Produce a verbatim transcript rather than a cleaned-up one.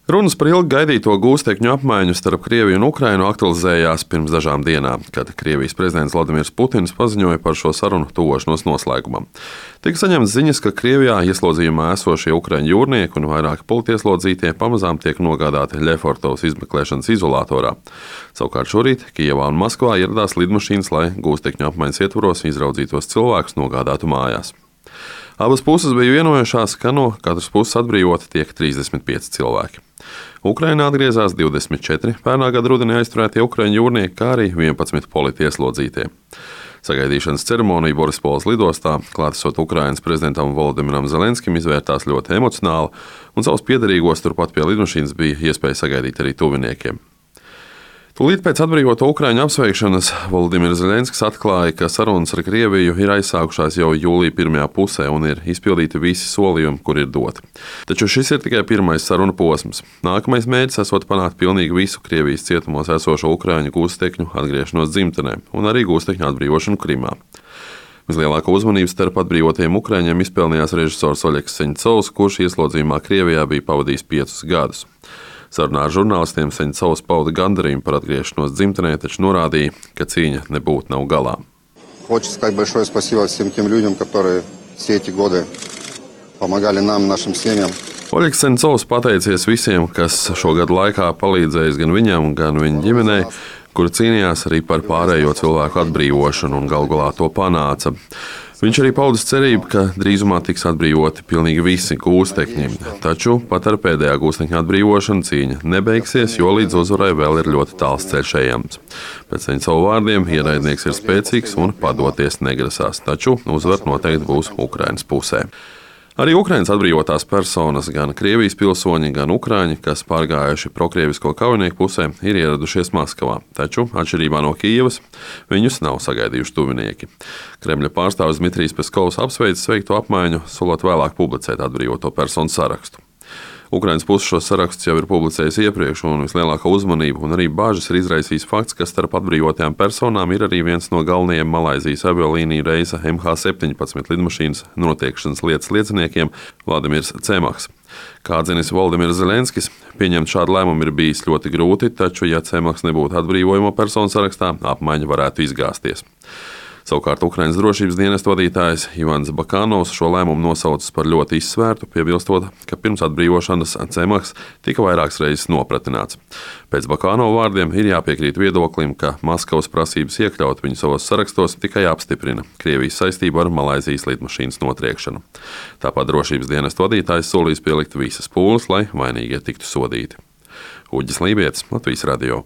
Runas par ilgi gaidīto gūstekņu apmaiņu starp Krieviju un Ukrainu aktualizējās pirms dažām dienām, kad Krievijas prezidents Vladimirs Putins paziņoja par šo sarunu tuvošanos noslēgumam. Tika saņemts ziņas, ka Krievijā ieslodzījumā esošie ukraiņu jūrnieki un vairāki politieslodzītie pamazām tiek nogādāti Ļefortovas izmeklēšanas izolatorā. Savukārt šorīt Kijevā un Maskavā ieradās lidmašīnas, lai gūstekņu apmaiņas ietvaros izraudzītos cilvēkus nogādātu mājās. Abas puses bija vienojušās, ka no katras puses atbrīvoti tiek trīsdesmit pieci cilvēki. Ukrainā atgriezās divdesmit četri pērnā gada rudenī aizturētie ukraiņu jūrnieki, kā arī vienpadsmit politieslodzītie. Sagaidīšanas ceremonija Borispoles lidostā, klātesot Ukrainas prezidentam Volodimiram Zelenskim, izvērtās ļoti emocionāli, un savus piederīgos turpat pie lidmašīnas bija iespēja sagaidīt arī tuviniekiem. Tūlīt pēc atbrīvoto ukraiņu apsveikšanas Volodimirs Zelenskis atklāja, ka sarunas ar Krieviju ir aizsākušās jau jūlija pirmajā pusē un ir izpildīti visi solījumi, kur ir doti. Taču šis ir tikai pirmais sarunu posms. Nākamais mērķis esot panākt pilnīgi visu Krievijas cietumos esošo ukraiņu gūstekņu atgriešanos dzimtenē un arī gūstekņu atbrīvošanu Krimā. Vislielāko uzmanību starp atbrīvotiem ukraiņiem izpelnījās režisors Oļegs Seņcovs, kurš ieslodzījumā Krievijā bija pavadījis piecus gadus. Sarunā ar žurnālistiem Seņcovs pauda gandarījumu par atgriešanos dzimtenē, taču norādīja, ka cīņa nebūtu nav galā. Хочу сказать большое спасибо всем тем людям, которые все эти годы помогали нам, нашим семьям. Oļegs Seņcovs pateicies visiem, kas šo gadu laikā palīdzējis gan viņam, gan viņa ģimenei, kur cīnījās arī par pārējo cilvēku atbrīvošanu un galu galā to panāca. Viņš arī paudis cerību, ka drīzumā tiks atbrīvoti pilnīgi visi gūstekņi, taču pat ar pēdējā gūstekņa atbrīvošanu cīņa nebeigsies, jo līdz uzvarai vēl ir ļoti tāls ceļš ejams. Pēc Seņcova vārdiem ienaidnieks ir spēcīgs un padoties negrasās, taču uzvar noteikti būs Ukrainas pusē. Arī Ukrainas atbrīvotās personas, gan Krievijas pilsoņi, gan ukraiņi, kas pārgājuši prokrievisko kaujinieku pusē, ir ieradušies Maskavā, taču, atšķirībā no Kijevas, viņus nav sagaidījuši tuvinieki. Kremļa pārstāvis Dmitrijs Peskovs apsveicis veikto apmaiņu, solot vēlāk publicēt atbrīvoto personu sarakstu. Ukrainas puse šos sarakstus jau ir publicējusi iepriekš, un vislielākā uzmanība un arī bāžas ir izraisījis fakts, ka starp atbrīvotajām personām ir arī viens no galvenajiem Malaizijas aviolīniju reisa M H septiņpadsmit lidmašīnas notiekšanas lietas lieciniekiem Vladimirs Cemahs. Kā atzinis Volodimirs Zelenskis, pieņemt šādu lēmumu ir bijis ļoti grūti, taču, ja Cemahs nebūtu atbrīvojamo personu sarakstā, apmaiņa varētu izgāzties. Savukārt Ukrainas drošības dienesta vadītājs Ivans Bakanovs šo lēmumu nosaucis par ļoti izsvērtu, piebilstot, ka pirms atbrīvošanas Cemahs tika vairākas reizes nopratināts. Pēc Bakanova vārdiem ir jāpiekrīt viedoklim, ka Maskavas prasības iekļaut viņu savos sarakstos tikai apstiprina Krievijas saistību ar Malaizijas lidmašīnas notriekšanu. Tāpat drošības dienesta vadītājs solīs pielikt visas pūles, lai vainīgie tiktu sodīti. Uģis Lībietis, Latvijas radio.